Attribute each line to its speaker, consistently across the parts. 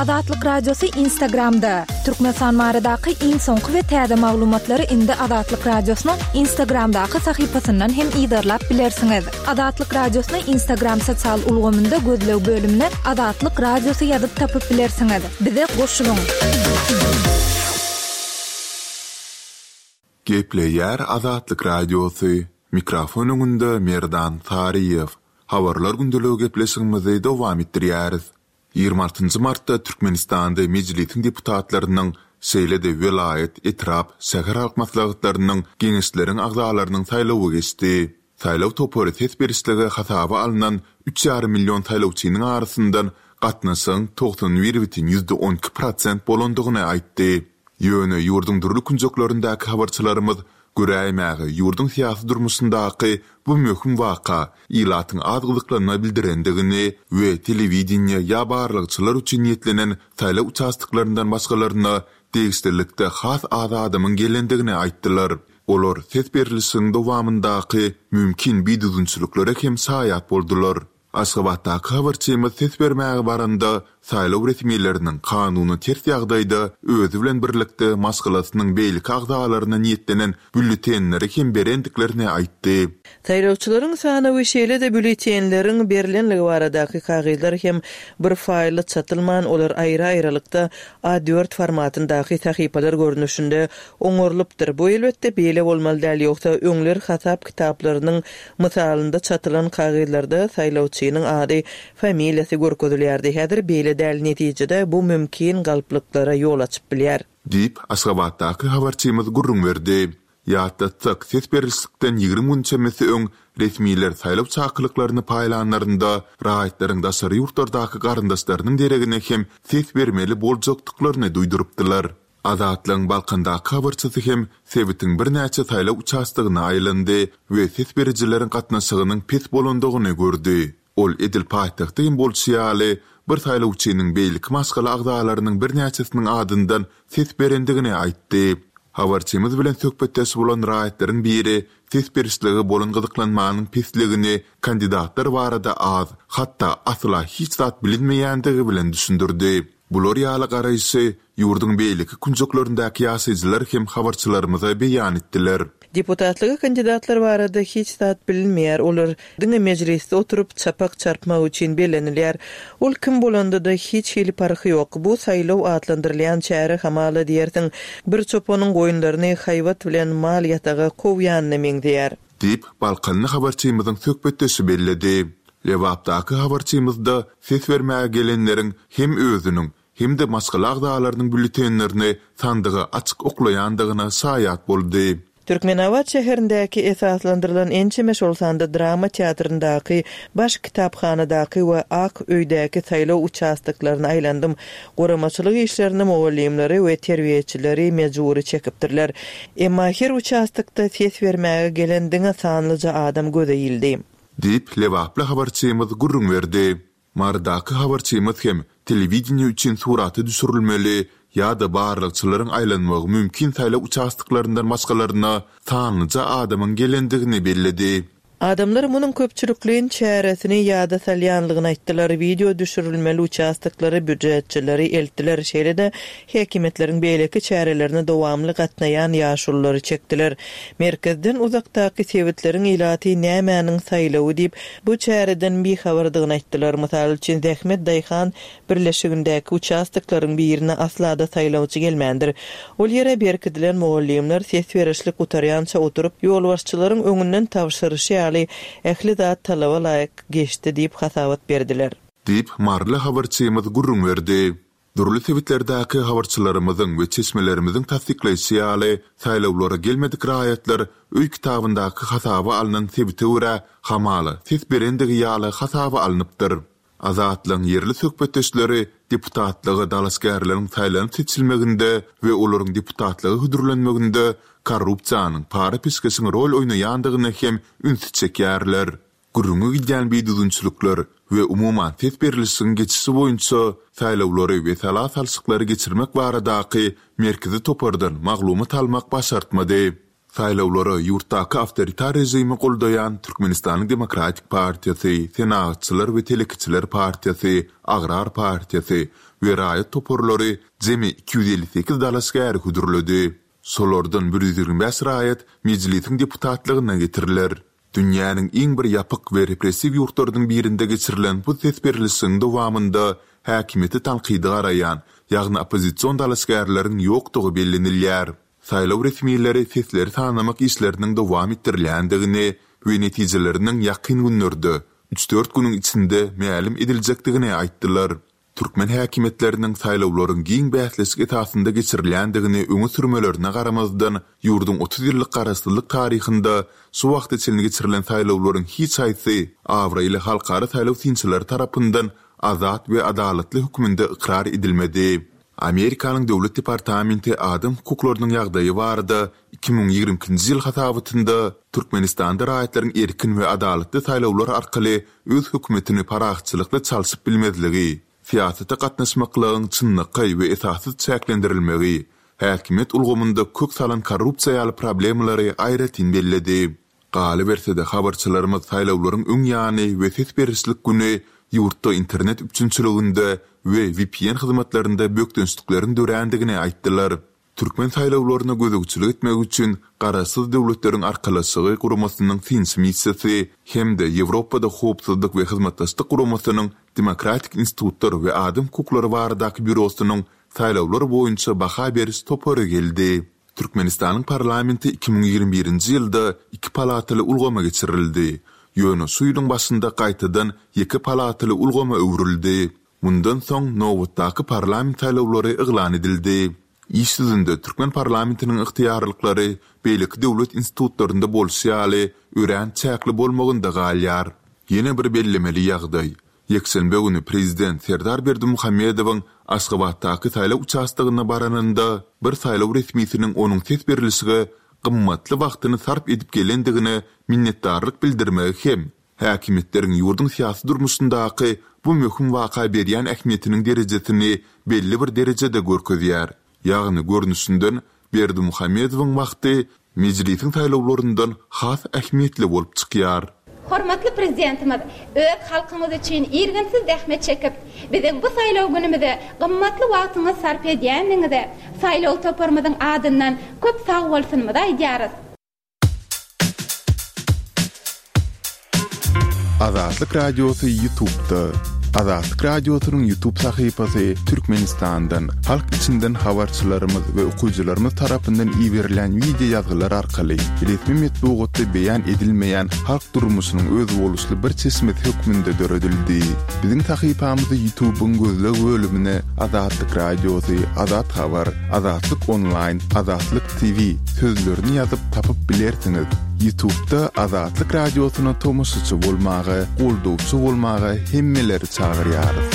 Speaker 1: Azatlyk Radiosy Instagramda! Türkmenistan baradaky iň soňky we täze maglumatlary indi Azatlyk Radiosynyň Instagramdaky sahypasyndan hem yzarlap bilersiňiz. Azatlyk Radiosyny Instagram sosial ulgamynda gözleg bölümine Azatlyk Radiosy ýazyp tapyp bilersiňiz. Bize goşulyň!
Speaker 2: Gepleýär Azatlyk Radiosy, Mikrofon öňünde Merdan Saryýew. Habarlar gündeligi gepleşigimizi dowam etdirýäris. 26 martda Türkmenistanda Mejlisiň deputatlarynyň, şeýle-de welaýat, etrap, şäher halk maslahatlarynyň, geňeşleriň agzalarynyň saýlawy geçdi. Saýlaw topary ses berişlige hasaba alnan üç ýarym million saýlawçynyň arasyndan gatnaşygyň 91 bütin ýüzde 12 prosent bolandygyny aýtdy. Ýöne ýurduň dürli künjeklerindäki habarçylarymyz göräýmäge ýurduň syýasy durmuşyndaky bu möhüm waka ilatyň az gyzyklanma bildirendigini we telewideniýe ýa barlagçylar üçin niýetlenen saýlaw uçastoklaryndan başgalaryna degişlilikde has az adamyň gelendigini aýtdylar. Olar ses berlişigiň dowamyndaky mümkin bidüzgünçiliklere hem şaýat boldular. Aşgabatdaky habarçymyz ses bermäge baranda, saýlaw resmileriniň kanuna ters ýagdaýda özi bilen birlikde maşgalasynyň beýleki agzalaryna niýetlenen býulletenleri hem berendiklerini aýtdy.
Speaker 3: Saýlawçylaryň sanawy şeýle-de býulletenleriň berlenligi baradaky kagyzlar hem bir faýlda çatylman, olar aýry-aýrylykda A dört formatyndaky sahypalar görnüşinde oňarylypdyr. Bu elbetde beýle bolmaly däl, ýogsa öňler hasap kitaplarynyň mysalynda çatylan kagyzlarda saýlawçynyň ady, familiýasy görkezilýärdi. Häzir beýle däl, netijede bu mümkin galplyklara ýol açyp bilýär.
Speaker 2: Diýip, Aşgabatdaky habarçymyz gürrüň berdi. Ýatlatsak, ses berlişikden 20 gün çemesi öň resmiler saýlaw çakylyklaryny paýlanlarynda raýatlaryň daşary ýurtlardaky garyndaşlarynyň deregine hem ses bermeli boljakdyklaryny duýdurypdylar. Azatlygyň Balkandaky habarçysy hem sebitiň birnäçe saýlaw uçastogyna aýlandy we ses berijileriň gatnaşygynyň pes bolandygyny gördi. Ol edil paýtagtda hem bolşy ýaly, bir saýlawçynyň beýleki maşgala agzalarynyň birnäçesiniň adyndan ses berendigini aýtdy. Habarçymyz bilen söhbetdeş bolan raýatlaryň biri ses berişlige bolan gyzyklanmanyň pesligini kandidatlar barada az, hatda asla hiç zat bilinmeýändigi bilen düşündirdi. Bular ýaly garaýşy ýurduň beýleki künjeklerindäki ýaşaýjylar hem habarçylarymyza beýan etdiler.
Speaker 3: Deputatlyga kandidatlar barada hiç zat bilinmeýär, olar diňe mejlisde oturyp, çapak çarpmak üçin bellenilýär. Ol kim bolanda-da hiç hili parhy ýok. Bu saýlaw atlandyrylýan çäre hamala diýersiň, bir çopanyň goýunlaryny haýbat bilen mal ýataga kowýanyna meňzeýär.
Speaker 2: Diýip, balkanly habarçymyzyň söhbetdeşi belledi. Lebapdaky habarçymyz-da ses bermäge gelenleriň hem özüniň, hem-de maşgala agzalarynyň býulletenlerini sandyga açyk oklaýandygyna şaýat boldy.
Speaker 3: Türkmenabat şäherindäki esaslandyrylan ençeme, şol sanda drama teatryndaky, baş kitaphanadaky we Ak öýdäki saýlaw uçastoklaryna aýlandym. Guramaçylyk işlerine mugallymlary we terbiýeçileri mejbury çekipdirler. Emma her uçastokda ses bermäge gelen diňe sanlyja adam göze ildi.
Speaker 2: Diýip, lebaply habarçymyz gürrüň berdi. Marydaky habarçymyz hem telewideniýe üçin surata düşürilmeli ýa-da barlagçylaryň aýlanmagy mümkin saýlaw uçastoklaryndan başgalaryna sanlyja adamyň gelendigini belledi.
Speaker 3: Adamlar munuň köpçülikleýin çäresini ýada salýanlygyny aýtdylar, wideo düşürilmeli uçastoklara býujetçileri eltdiler, şeýle-de häkimiýetleriň beýleki çärelerine dowamly gatnaýan ýaşululary çekdiler. Merkezden uzakdaky sebitleriň ilaty nämäniň saýlawy diýip, bu çäreden bihabardygyny aýtdylar. Mysal üçin, Zähmet daýhan birleşigindäki uçastoklaryň birine asla-da saýlawçy gelmändir. Ol ýere berkidilen mugallymlar ses berişlik gutarýança oturyp, ýolbaşçylaryň öňünden tabşyryşy ýaly, ähli zat talaba laýyk geçdi diýip hasabat berdiler.
Speaker 2: Diýip, maryly habarçymyz gürrüň berdi. Dürli sebitlerdäki habarçylarymyzyň we çeşmelerimiziň tassyklaýşy ýaly, saýlawlara gelmedik raýatlar öý kitabyndaky hasaba alnan sebite görä, hamala, ses berendigi ýaly hasaba alnypdyr. Azatlygyň ýerli söhbetdeşleri deputatlyga dalaşgärleriň saýlanyp-seçilmeginde we olaryň deputatlyga hödürlenmeginde korrupsiýanyň, para-peşgeşiň rol oýnaýandygyna hem ünsi çekýärler. Gürrüňi gidýän bidüzgünçilikler we umuman ses berlişigiň geçişi boýunça saýlawlary we sala salşyklary geçirmek baradaky merkezi topardan maglumat almak başartmady. Saýlawlara ýurtdaky awtoritar režimi goldaýan Türkmenistanyň Demokratik partiýasy, Senagatçylar we telekeçiler partiýasy, Agrar partiýasy we raýat toparlary jemi 258 dalaşgäri hödürledi. Şolardan 125 raýat Mejlisiň deputatlygyna getiriler. Dünýäniň iň bir ýapyk we repressiw ýurtlarynyň birinde geçirilen bu ses berlişigiň dowamynda häkimiýete tankydy garaýan, ýagny oppozision dalaşgärleriň ýokdugy bellenilýär. Saýlaw resmileri sesleri sanamak işleriniň dowam etdirilýändigini we netijeleriniň ýakyn günlerde, üç-dört günüň içinde mälim ediljekdigini aýtdylar. Türkmen häkimiýetleriniň saýlawlaryň giň bäsleşik esasynda geçirilýändigini öňe sürmelerine garamazdan, ýurduň 30 ýyllyk garaşsyzlyk taryhynda şu wagta çenli geçirilen saýlawlaryň hiç haýsy abraýly halkara saýlaw synçylary tarapyndan azat we adalatly hökmünde ykrar edilmedi. Amerikanyň Döwlet departamenti adam hukuklarynyň ýagdaýy barada 2022-nji ýyl hasabatynda Türkmenistanda raýatlaryň erkin we adalatly saýlawlar arkaly öz hökümetini parahatçylykly çalşyp bilmezligi, syýasata gatnaşmaklygyň çynlakaý we esassyz çäklendirilmegi, häkimiýet ulgamynda kök salan korrupsiýa ýaly problemalary aýratyn belledi. Galyberse-de, habarçylarymyz saýlawlaryň öň ýany we ses berişlik güni ýurtda internet üpjünçiliginde we vpn hyzmatlarynda bökdençlikleriň dörändigini aýtdylar. Türkmen saýlawlaryna gözegçilik etmek üçin Garaşsyz Döwletleriň Arkalaşygy Guramasynyň synçy missiýasy hem-de Ýewropada Howpsuzlyk we Hyzmatdaşlyk Guramasynyň Demokratik institutlar we adam hukuklary baradaky býurosynyň saýlawlar boýunça baha beriş topary geldi. Türkmenistanyň parlamenti 2021-nji ýylda iki palataly ulgama geçirildi. Ýöne şu ýylyň başynda gaýtadan ýeke palataly ulgama öwrüldi. Mundan soň nobatdaky parlament saýlawlary yglan edildi. Iş ýüzünde türkmen parlamentiniň ygtyýarlyklary beýleki döwlet institutlarynda bolşy ýaly örän çäkli bolmagynda galýar. Ýene bir bellemeli ýagdaý, Ýekşenbe güni prezident Serdar Berdimuhamedowyň Aşgabatdaky saýlaw uçastogyna baranynda bir saýlaw resmisiniň onuň ses berlişige gymmatly wagtyny sarp edip gelendigine minnetdarlyk bildirmegi hem häkimiýetleriň ýurduň syýasy durmuşyndaky bu möhüm waka berýän ähmiýetiniň derejesini belli bir derejede görkezýär. Ýagny, görnüşinden, Berdimuhamedowyň wagty Mejlisiň saýlawlaryndan has ähmiýetli bolup çykýar.
Speaker 4: Hormatly Prezidentimiz öz halkyňyz üçin irginsiz zähmet çekip, biziň bu saýlaw günümize gymmatly wagtyňyzy sarp edýändigiňize saýlaw toparymyzyň adyndan köp sagbolsunymyzy aýdýarys.
Speaker 2: Azatlyk Radiosy Ýutubda. Azatlyk Radiosynyň Ýutub sahypasy Türkmenistandan, halk içinden habarçylarymyz we okyjylarymyz tarapyndan iberilen wideo ýazgylar arkaly resmi metbugatda beýan edilmeýän halk durmuşynyň özboluşly bir çeşmesi hökmünde döredildi. Biziň sahypamyzy Ýutubyň gözleg bölümine Azatlyk Radiosy, Azat Habar, Azatlyk Onlaýn, Azatlyk TV sözlerini ýazyp tapyp bilersiňiz. Ýutubda Azatlyk Radiosyna tomaşaçy bolmaga, goldawçy bolmaga hemmeleri çagyrýarys.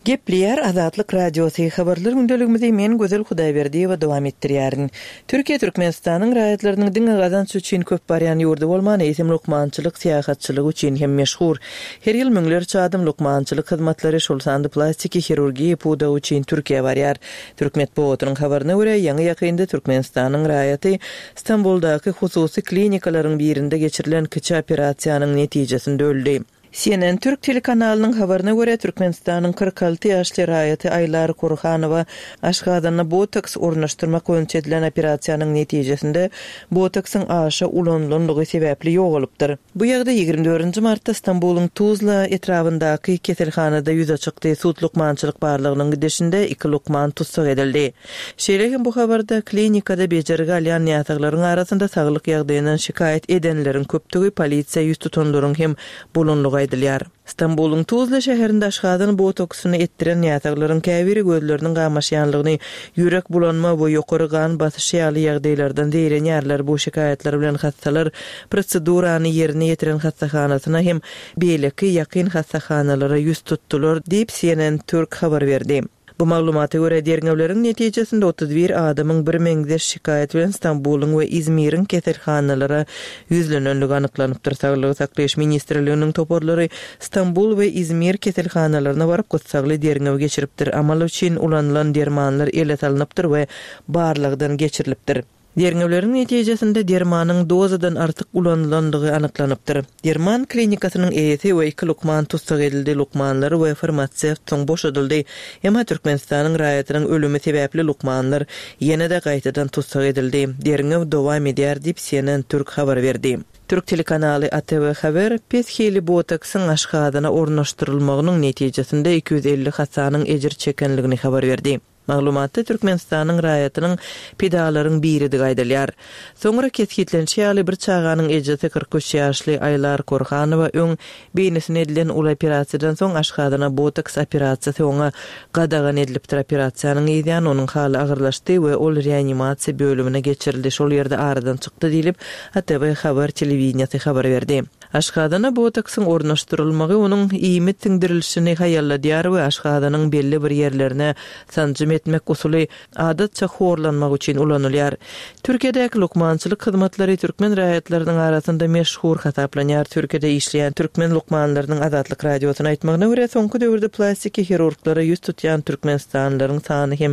Speaker 3: Gepleýär Azatlyk Radiosy, Habarlar gündeligimizi men Gözel Hudaýberdiýewa dowam etdirýärin. Türkiýe Türkmenistanyň raýatlarynyň diňe gazanç üçin köp barýan ýurdy bolman, eýsem lukmançylyk syýahatçylygy üçin hem meşhur. Her ýyl müňlerçe adam lukmançylyk hyzmatlary, şol sanda plastiki hirurgiýa pudagy üçin Türkiýä barýar. Türk metbugatynyň habaryna görä, ýaňy-ýakynda Türkmenistanyň raýaty Stambuldaky hususy klinikalaryň birinde geçirilen kiçi operasiýanyň netijesinde öldi. CNN türk telekanalynyň habaryna görä, Türkmenistanyň 46 ýaşly raýaty Aýlar Kurhanowa aşgazanyna botoks ornaşdyrmak boýunça edilen operasiýanyň netijesinde botoksyň aşa ulanylanlygy sebäpli ýogalypdyr. Bu ýagdaý 24 martda Stambulyň Tuzla etrabyndaky keselhanada ýüze çykdy, sud-lukmançylyk barlagynyň gidişinde iki lukman tussag edildi. Şeýle hem bu habarda klinikada bejergi alýan näsaglaryň arasynda saglyk ýagdaýyndan şikaýat edenleriň köpdügi, polisiýa ýüz tutanlaryň hem bolanlygy aýdylýar. Stambulyň Tuzla şäherinde aşgazan botoksyny etdiren näsaglaryň käbiri gözleriniň gamaşýanlygyny, ýürek bulanma we ýokary gan basyşy ýaly ýagdaýlardan zeýrenýärler. Bu şikaýatlar bilen hassalar prosedurany ýerine ýetiren hassahanasyna hem beýleki ýakyn hassahanalara ýüz tutdular, diýip, CNN Türk habar berdi. Bu maglumata görä, derňewleriň netijesinde 31 adamyň birmeňzeş şikaýat bilen Stambulyň we Izmiriň keselhanalara ýüzlenenligi anyklanypdyr. Saglygy saklaýyş ministrliginiň toparlary Stambul we Izmir keselhanalaryna baryp, gyssagly derňew geçiripdir. Amal üçin ulanylan dermanlar ele salnypdyr we barlagdan geçirilipdir. Derňewleriň netijesinde dermanyň dozadan artyk ulanylandygy anyklanypdyr. Derman klinikasynyň eýesi we iki lukman tussag edildi, lukmanlar we farmasewt soň boşadyldy. Emma Türkmenistanyň raýatynyň ölümi sebäpli lukmanlar ýene-de gaýtadan tussag edildi. Derňew dowam edýär diýip, CNN Türk habar berdi. Türk telekanaly ATV Haber pes hili botoksyň aşgazana ornaşdyrylmagynyň netijesinde 250 hassanyň ejir çekenligini habar berdi. Maglumatda Türkmenistanyň raýatynyň pidalaryň biridigi aýdylýar. Soňra kesgitlenişi ýaly, bir çaganyň ejesi 43 ýaşly Aýlar Korhanowa öň beýnisine edilen uly operasiýadan soň aşgazana botoks operasiýasy oňa gadagan edilipdir. Operasiýanyň yzýany onuň haly agyrlaşdy we ol reanimasiýa bölümine geçirildi, şol ýerde aradan çykdy diýlip, ATV Haber telewideniýesi habar berdi. Aşgazana botoksyň ornaşdyrylmagy onuň iýmit siňdirilişini haýalladýar we aşgazanyň belli bir ýerlerine sanjym etmek usuly adatça horlanmak üçin ulanylýar. Türkiýedäki lukmançylyk hyzmatlary türkmen raýatlarynyň arasynda meşhur hasaplanýar. Türkiýede işleýän türkmen lukmanlarynyň Azatlyk Radiosyna aýtmagyna görä, soňky döwürde plastiki hirurglara ýüz tutýan türkmenistanlylaryň sany hem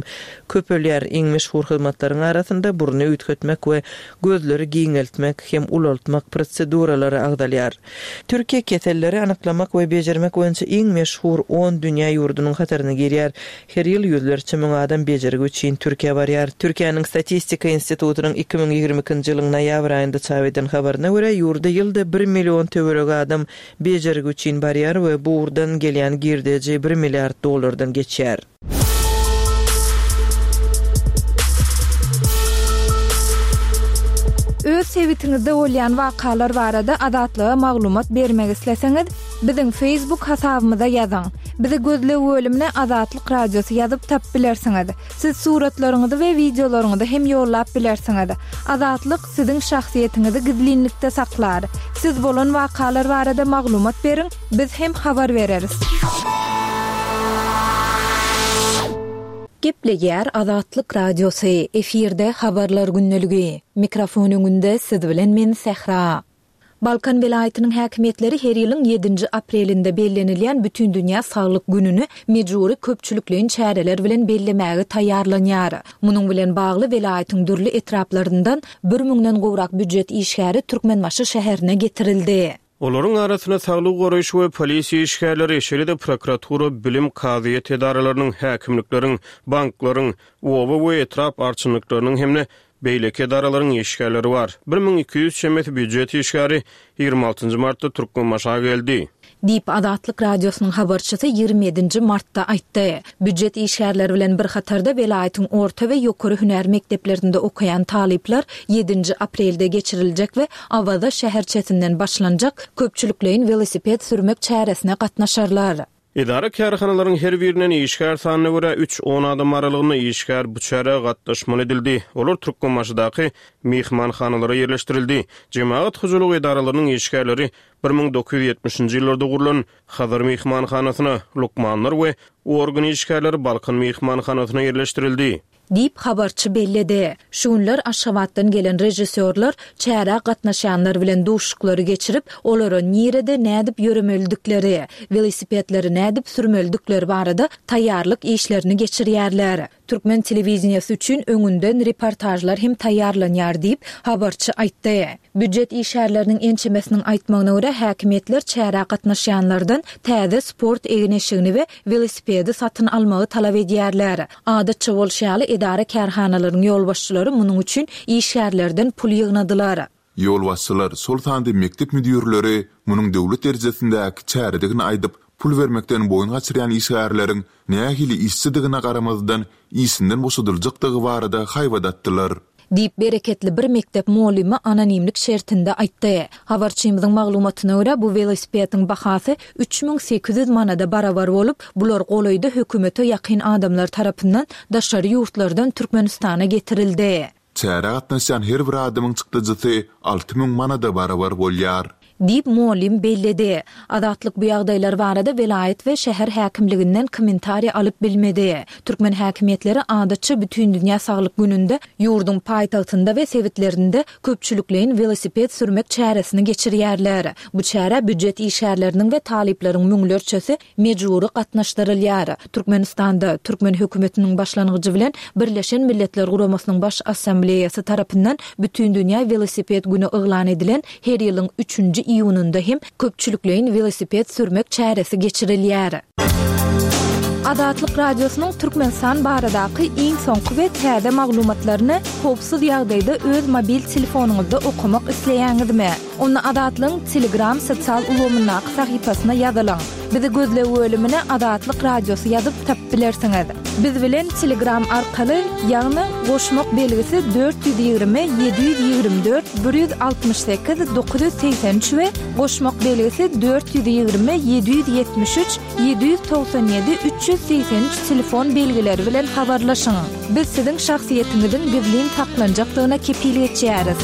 Speaker 3: köpelýär. Iň meşhur hyzmatlaryň arasynda burny üýtgetmek we gözleri giňeltmek hem ulaltmak proseduralary agzalýar. Türkiýe keselleri anyklamak we bejermek boýunça iň meşhur on dünýä ýurdunyň hataryna girýär. Her ýyl ýüzlerçe müň adam bejergi üçin Türkiýä barýar. Türkiýäniň Statistika institutynyň 2022-nji ýylyň noýabr aýynda çap eden habaryna görä, ýurda ýylda bir million töweregi adam bejergi üçin barýar we bu ugurdan gelýän girdeji bir milliard dollardan geçýär.
Speaker 1: Öz sebitiňizde bolýan wakalar barada Azatlyga maglumat bermek isleseňiz, biziň Facebook hasabymyza ýazyň. Bizi gözleg bölümine Azatlyk Radiosy ýazyp tapyp bilersiňiz. Siz suratlaryňyzy we wideolaryňyzy hem ýollap bilersiňiz. Azatlyk siziň şahsyýetiňizi gizlinlikde saklar. Siz bolan wakalar barada maglumat beriň, Biz hem habar bereris.
Speaker 5: Gepleýär Azatlyk Radiosy, efirde Habarlar gündeligi. Mikrofon öňünde siz bilen men Sähra. Balkan welaýatynyň häkimiýetleri her ýylyň ýedinji aprelinde bellenilýän Bütindünýä saglyk gününi mejbury köpçülikleýin çäreler bilen bellemäge taýýarlanýar. Munuň bilen bagly welaýatyň dürli etraplaryndan bir müňden gowrak býujet işgäri Türkmenbaşy şäherine getirildi.
Speaker 6: Olaryň arasynda saglygy goraýyş we polisiýa işgärleri, şeýle-de prokuratura, bilim, kazyýet edaralarynyň, häkimlikleriň, banklaryň, oba we etrap arçynlyklarynyň hem-de beýleki edaralaryň işgärleri bar. 1200 çemesi býujet işgäri 26 nji martda Türkmenbaşa geldi.
Speaker 5: Diýip, Azatlyk Radiosynyň habarçysy 27 nji martda aýtdy. Býujet işgärleri bilen bir hatarda welaýatyň orta we ýokary hünär mekdeplerinde okaýan talyplar ýedinji aprelde geçiriljek we Awaza şäherçesinden başlanjak köpçülikleýin welosiped sürmek çäresine gatnaşarlar.
Speaker 6: Edara-kärhanalaryň her birinden işgär sanyna görä üç-on adam aralygynda işgär bu çärä gatnaşmaly edildi. Olar Türkmenbaşydaky myhmanhanalara ýerleşdirildi. Jemagat hojalygy edaralarynyň işgärleri 1970-nji ýyllarda gurlan Hazar myhmanhanasyna, lukmanlar we organ işgärleri Balkan myhmanhanasyna ýerleşdirildi.
Speaker 5: Diýip, habarçy belledi. Şu günler Aşgabatdan gelen režissýorlar çärä gatnaşýanlar bilen duşuşyklary geçirip, olara nirede nädip ýöremelidikleri, welosipedleri nädip sürmelidikleri barada taýýarlyk işlerini geçirýärler. Türkmen telewideniýesi üçin öňünden reportažlar hem taýýarlanýar diýip, habarçy aýtdy. Býujet işgärleriniň ençemesiniň aýtmagyna görä, häkimiýetler çärä gatnaşýanlardan täze sport egin-eşigini we welosipedi satyn almagy talap edýärler. Adatça bolşy ýaly, edara-kärhanalaryň ýolbaşçylary munuň üçin işgärlerden pul ýygnadylar.
Speaker 2: Ýolbaşçylar, şol sanda mekdep müdirleri munuň döwlet derejesindäki çäredigini aýdyp, pul bermekden boýun gaçyrýan işgärleriň nähili işçidigine garamazdan, işinden boşadyljakdygy barada haýbat atdylar.
Speaker 5: Diýip, bereketli bir mekdep mugallymy anonimlik şertinde aýtdy. Habarçymyzyň maglumatyna görä, bu welosipediň bahasy 3800 manada barabar bolup, bular golaýda hökümete ýakyn adamlar tarapyndan daşary ýurtlardan Türkmenistana getirildi.
Speaker 2: Çärä gatnaşýan her bir adamyň çykdajysy 6000 manada barabar bolýar.
Speaker 5: Diýip, mugallym belledi. Azatlyk bu ýagdaýlar barada welaýat we şäher häkimliginden kommentariý alyp bilmedi. Türkmen häkimiýetleri adatça Bütindünýä saglyk gününde ýurduň paýtagtynda we sebitlerinde köpçülikleýin welosiped sürmek çäresini geçirýärler. Bu çärä býujet işgärleriniň we talyplaryň müňlerçesi mejbury gatnaşdyrylýar. Türkmenistanda, türkmen hökümetiniň başlangyjy bilen Birleşen Milletler Guramasynyň Baş Assambleýasy tarapyndan Bütindünýä welosiped güni yglan edilen her ýylyň üçünji iýunynda hem köpçülikleýin welosiped sürmek çäresi geçirilýär. Azatlyk Radiosynyň Türkmenistan baradaky iň soňky we täze maglumatlaryny howpsuz ýagdaýda öz mobil telefonyňyzda okamak isleýäňizmi? Onda Azatlygyň Telegram sosial ulgamyndaky sahypasyna ýazylyň. Bizi gözleg bölümine Azatlyk Radiosy ýazyp tapyp bilersiňiz. Biz bilen Telegram arkaly, ýagny goşmak belgisi 420 724 168 983 we goşmak belgisi 420 773 797 383 telefon belgileri bilen habarlaşyň. Biz siziň şahsyýetiňiziň gizlin saklanjakdygyna kepil geçýäris.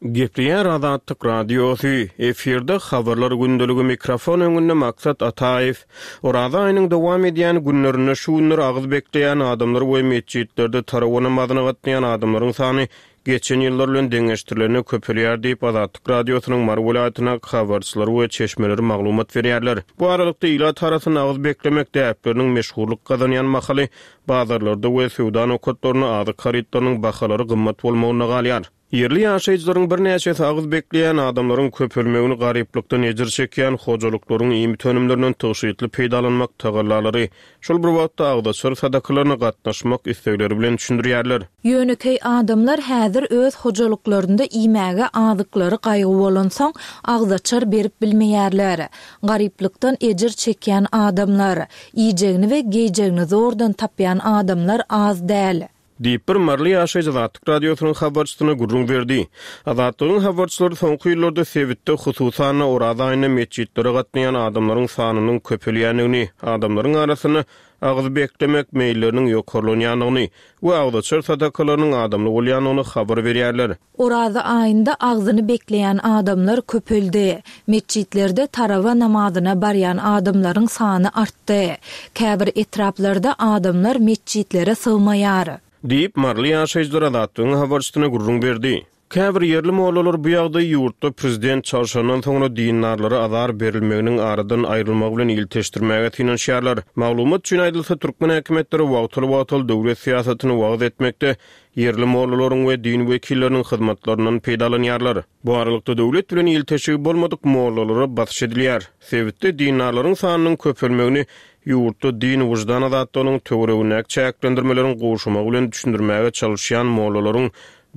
Speaker 6: Gepleýär Azatlyk Radiosy, efirde Habarlar gündeligi mikrofon öňünde Maksat Ataýew. Oraza aýynyň dowam edýän günlerinde şu günler agyz bekleýän adamlar we metjitlerde tarawa namazyna gatnaýan adamlaryň sany geçen ýyllar bilen deňeşdirilende köpelýär diýip, Azatlyk Radiosynyň Mary welaýatyndaky habarçylary we çeşmeleri maglumat berýärler. Bu aralykda, ilat arasynda agyz beklemek däpleriniň meşhurlyk gazanýan mahaly, bazarlarda we söwda nokatlarynda azyk harytlarynyň bahalary gymmat bolmagynda galýar. Ýerli ýaşaýjylaryň birnäçesi agyz bekleýän adamlaryň köpelmegini garyplykdan ejir çekýän hojalyklaryň iýmit önümlerinden tygşytly peýdalanmak tagallalary, şol bir wagtda agzaçar sadakalaryna gatnaşmak islegleri bilen düşündirýärler.
Speaker 5: Ýönekeý adamlar häzir öz hojalyklarynda iýmäge azyklary gaýgy bolansoň, agzaçar berip bilmeýärler. Garyplykdan ejir çekýän adamlar, iýjegini we geýjegini zordan tapýan adamlar az däl.
Speaker 6: Diýip, bir maryly ýaşaýjy Azatlyk Radiosynyň habarçysyna gürrüň berdi. Azatlygyň habarçylary soňky ýyllarda sebitde, hususan-da, Oraza aýynda metjitlere gatnaýan adamlaryň sanynyň köpelýändigini, adamlaryň arasynda agyz beklemek meýilleriniň ýokarlanýandygyny we agzaçar sadakalarynyň adamly bolýandygyny habar berýärler.
Speaker 5: Oraza aýynda agzyny bekleýän adamlar köpeldi. Metjitlerde tarawa namazyna barýan adamlaryň sany artdy. Käbir etraplarda adamlar metjitlere sygmaýar.
Speaker 6: Diýip, maryly ýaşaýjylar Azatlygyň habarçysyna gürrüň berdi. Käbir ýerli mollalar bu ýagdaýy ýurtda prezident çalşandan soňra dindarlara azar berilmeginiň aradan aýrylmagy bilen ilteşdirmäge synanyşýarlar. Maglumat üçin aýdylsa, türkmen häkimiýetleri wagtal-wagtal döwlet syýasatyny wagyz etmekde ýerli mollalaryň we din wekilleriniň hyzmatlaryndan peýdalanýarlar. Bu aralykda, döwlet bilen ilteşigi bolmadyk mollalara basyş edilýär. Sebitde dindarlaryň sanynyň köpelmegini ýurtda din-wyždan azatlygynyň töweregindäki çäklendirmeleriň gowşamagy bilen düşündirmäge çalyşýan mollalaryň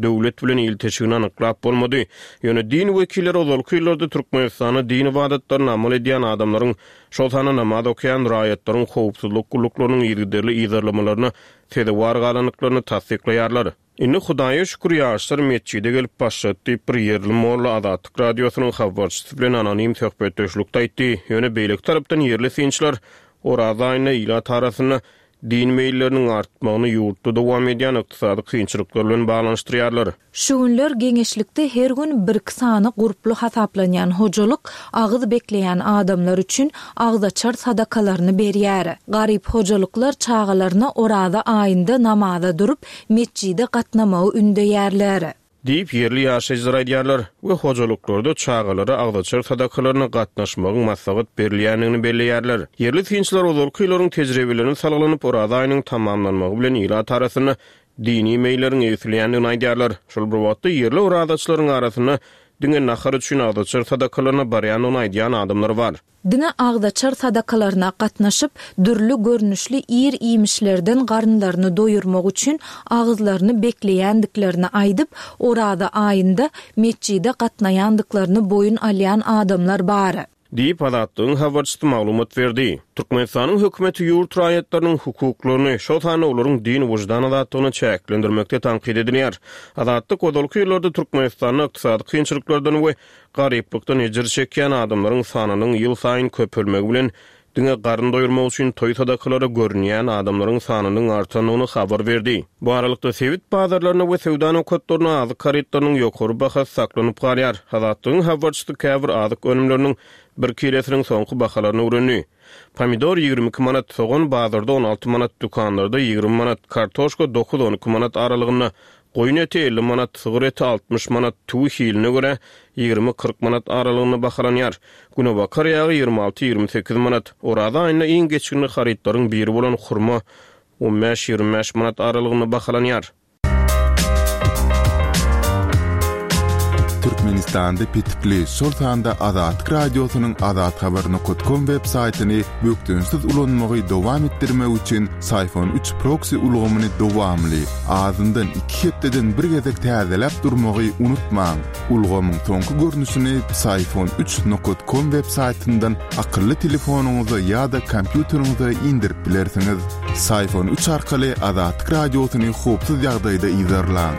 Speaker 6: döwlet bilen ilteşigini anyklap bolmady. Ýöne din wekilleri ozalky ýyllarda Türkmenistanda din ybadatlaryny amal edýän adamlaryň, şol sanda namaz okaýan raýatlaryň howpsuzlyk gulluklarynyň yzygiderli yzarlamalaryna sezewar galandyklaryny tassyklaýarlar. Indi Hudaýa şükür ýaşlar metjide gelip başlady diýip, bir ýerli molla Azatlyk Radiosynyň habarçysy bilen anonim söhbetdeşlikde aýtdy. Ýöne beýleki tarapdan ýerli synçylar Oraza aýynda ilat arasynda din meýilleriniň artmagyny ýurtda dowam edýän ykdysady kynçylyklar bilen baglanyşdyrýarlar.
Speaker 5: Şu günler geňeşlikde her gün birki sany gurply hasaplanýan hojalyk agyz bekleýän adamlar üçin agzaçar sadakalaryny berýär. Garyp hojalyklar çagalaryna Oraza aýynda namaza durup, metjide gatnamagy ündeýärler.
Speaker 6: Diýip, ýerli ýaşaýjylar aýdýarlar we hojalyklarda çagalara agzaçar sadakalaryna gatnaşmagyň maslahat berilýändigini belleýärler. Ýerli synçylar ozalky ýyllaryň tejribelerine salgylanyp, Oraza aýynyň tamamlanmagy bilen ilat arasynda dini meýilleriň egsilýändigini aýdýarlar. Şol bir wagtda, ýerli orazaçylaryň arasynda diňe nahar üçin agzaçar sadakalaryna barýandygyny aýdýan adamlar bar.
Speaker 5: Diňe agzaçar sadakalaryna gatnaşyp, dürli görnüşli ir-iýmişlerden garynlaryny doýurmak üçin agyzlaryny bekleýändiklerini aýdyp, Oraza aýynda metjide gatnaýandyklaryny boýun alýan adamlar bar.
Speaker 6: Diýip, Azatlygyň habarçysy maglumat berdi. Türkmenistanyň hökümeti ýurt raýatlarynyň hukuklaryny, şol sanda olaryň din-wyždan azatlygyny çäklendirmekde tankyt edilýär. Azatlyk ozalky ýyllarda Türkmenistanda ykdysady kynçylyklardan we garyplykdan ejir çekýän adamlaryň sanynyň ýylsaýyn köpelmegi bilen. diňe garyn doýurmak üçin toý sadakalara görünýän adamlaryň sanynyň artandygyny habar berdi. Bu aralykda, sebit bazarlarynda we söwda nokatlarynda azyk harytlarynyň ýokary bahasy saklanyp galýar. Azatlygyň habarçysy käbir azyk önümleriniň bir kilesiniň soňky bahalaryny öwrendi. Pomidor 22 manat, sogan bazarda 16 manat, dükanlarda 20 manat, kartoşka dokuz-on iki manat aralygynda, goýun eti 50 manat, sygyr eti 60 manat, tüwi hiline görä 20-40 manat aralygynda bahalanýar. Günebakar ýagy 26-28 manat. Oraza aýynda iň geçginli harytlaryň biri bolan hurma on bäş-ýigrimi bäş manat aralygynda bahalanýar.
Speaker 2: Türkmenistanda petikli, şol sanda Azatlyk Radiosynyň azathabar nokat kom web saýtyny bökdençsiz ulanmagy dowam etdirmek üçin Syfon üç proksi ulgamyny dowamly, azyndan iki hepdeden bir gezek täzeläp durmagy unutmaň. Ulgamyň soňky görnüşini Psiphon üç nokat kom web saýtyndan akylly telefonyňyza ýa-da kompýuteriňize indirip bilersiňiz. Psiphon üç arkaly Azatlyk Radiosyny howpsuz ýagdaýda yzarlaň.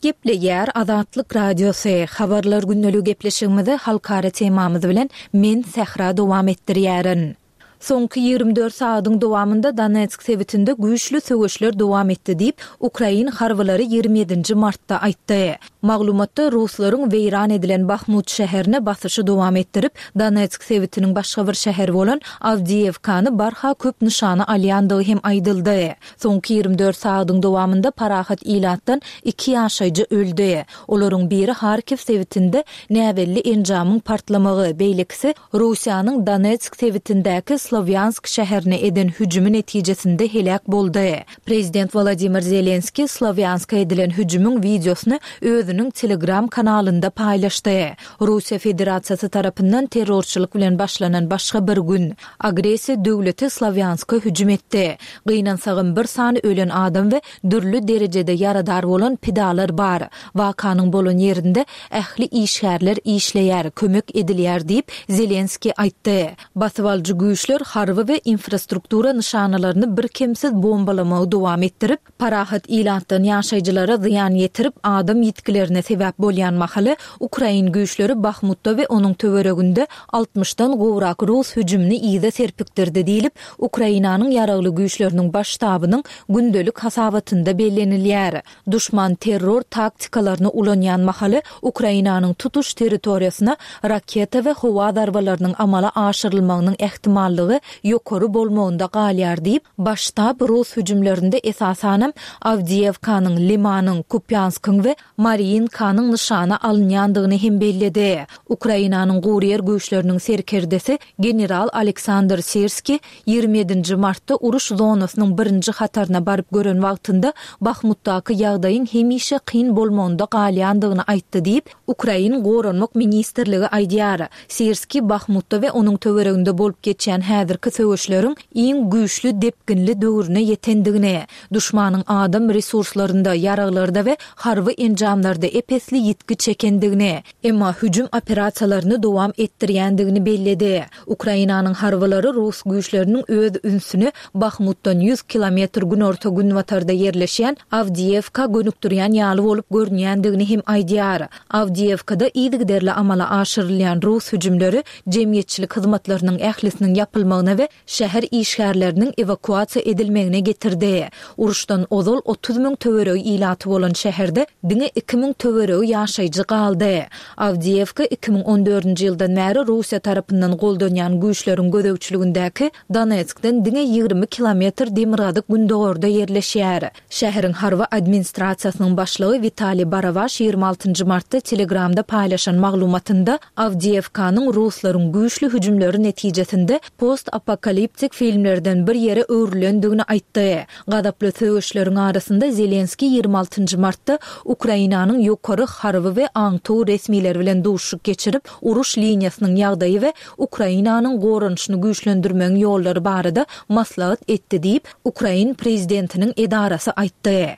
Speaker 5: Gepleýär Azatlyk Radiosy, Habarlar gündeligi gepleşigimizi halkara temamyz bilen men Sähra dowam etdirýärin. Soňky 24 sagadyň dowamynda Donetsk sebitinde güýçli söweşler dowam etdi diýip, ukrain harbylary 27-nji martda aýtdy. Maglumatda ruslaryň weýran edilen Bahmut şäherine basyşy dowam etdirip, Donetsk sebitiniň başga bir şäheri bolan Awdiýewkany barha köp nyşana alýandygy hem aýdyldy. Soňky 24 sagadyň dowamynda parahat ilatdan iki ýaşaýjy öldi. Olaryň biri Harkiw sebitinde näbelli enjamyň partlamagy, beýlekisi Russiýanyň Donetsk sebitindäki Slowýansk şäherine eden hüjümi netijesinde heläk boldy. Prezident Wolodymyr Zelenskiý Slowýanska edilen hüjümiň wideosyny özüniň Telegram kanalynda paýlaşdy. Russiýa Federasiýasy tarapyndan terrorçylyk bilen başlanan başga bir gün. Agressiýa döwleti Slowýanska hüjüm etdi. Gynansagam bir sany ölen adam we dürli derejede ýaradar bolan pidalar bar. Wakanyň bolan ýerinde ähli işgärler işleýär, kömek edilýär diýip, Zelenskiý aýtdy. Basybalyjy güýçler harby we infrastruktura nyşanalaryny birkemsiz bombalamagy dowam etdirip, parahat ilatdan ýaşaýjylara zyýan ýetirip, adam ýitgilerine sebäp bolýan mahaly, ukrain güýçleri Bahmutda we onuň töwereginde altmyşdan gowrak rus hüjümini yza serpikdirdi diýlip, Ukrainanyň Ýaragly Güýçleriniň Baş ştabynyň gündelik hasabatynda bellenilýär. Duşman terror taktikalaryny ulanýan mahaly Ukrainanyň tutuş territoriýasyna raketa we howa zarbalarynyň amala aşyrylmagynyň ähtimallygy ýokary bolmagynda galýar diýip, Baş ştab rus hüjümlerinde esasanam Awdiýewkanyň, Limanyň, Kupýanskyň we Marýinkanyň nyşana alynýandygyny hem belledi. Ukrainanyň guryýer güýçleriniň serkerdesi general Aleksandr Sirskiý 27-nji martda uruş zonasynyň birinji hataryna baryp gören wagtynda Bahmutdaky ýagdaýyň hemişe kyn bolmagynda galýandygyny aýtdy diýip, Ukrain Goranmak ministrligi aýdýar. Sirskiý Bahmutda we onuň töwereginde bolup geçýän häzirki söweşleriň iň güýçli depginli döwrüne ýetendigini, duşmanyň adam resurslarynda, ýaraglarda we harby enjamlarda ep-esli ýitgi çekendigini, emma hüjüm operasiýalaryny dowam etdirýändigini belledi. Ukrainanyň harbylary rus güýçleriniň öz ünsüni Bahmutdan ýüz kilometr günorta-günbatarda ýerleşýän Awdiýewka gönükdirýän ýaly bolup görünýändigini hem aýdýar. Awdiýewkada yzygiderli amala aşyrylýan rus hüjümleri jemgyýetçilik hyzmatlarynyň ählisiniň ýapylmagyna we şäher işgärleriniň ewakuasiýa edilmegine getirdi. Uruşdan ozal 30 müň töweregi ilaty bolan şäherde diňe 2000 töweregi ýaşaýjy galdy. Awdiýewka 2014-nji ýyldan bäri Russiýa tarapyndan goldanýan güýçleriň gözegçiligindäki Donetskden diňe 20 kilometr demirgazyk-gündogarda ýerleşýär. Şäheriň harby administrasiýasynyň başlygy Witaliý Barabaş 26 martda Telegramda paýlaşan maglumatynda Awdiýewkanyň ruslaryň güýçli hüjümleri netijesinde post-apokaliptik filmlerden bir ýere öwrülendigini aýtdy. Gazaply söweşleriň arasynda Zelenskiý 26 martda Ukrainanyň ýokary harby we aňtaw resmileri bilen duşuşyk geçirip, uruş liniýasynyň ýagdaýy we Ukrainanyň goranyşyny güýçlendirmegiň ýollary barada maslahat etdi diýip, ukrain prezidentiniň edarasy aýtdy.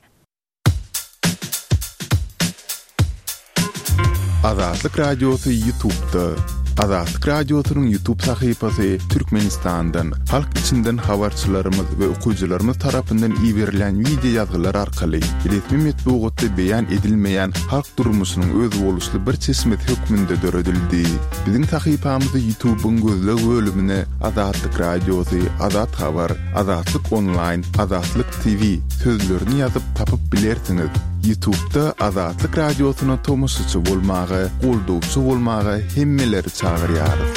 Speaker 2: Azatlyk Radiosy YouTube'da. Azatlyk Radiosynyň YouTube sahypasy Türkmenistandan, halk içinden habarçylarymyz we okyjylarymyz tarapyndan iberilýän wideo ýazgylar arkaly resmi metbugatda beýan edilmeýän halk durmuşynyň özboluşly bir çeşmesi hökmünde döredildi. Biziň sahypamyzy YouTube-yň gözleg bölümine Azatlyk Radiosy, Azat Habar, Azatlyk Onlaýn, Azatlyk TV sözlerini ýazyp tapyp bilersiňiz. Ýutubda Azatlyk Radiosyna tomaşaçy bolmaga, goldawçy bolmaga hemmeleri çagyrýarys.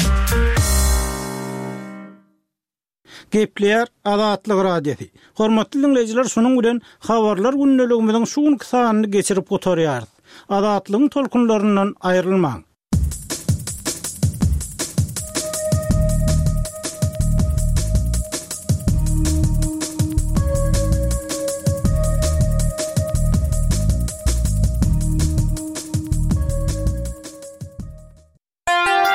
Speaker 7: Gepleýär Azatlyk Radiosy. Hormatly diňleýjiler şunuň bilen Habarlar gündeligimiziň şu günki sanyny geçirip gutarýarys. Azatlygyň tolkunlaryndan aýrylmaň.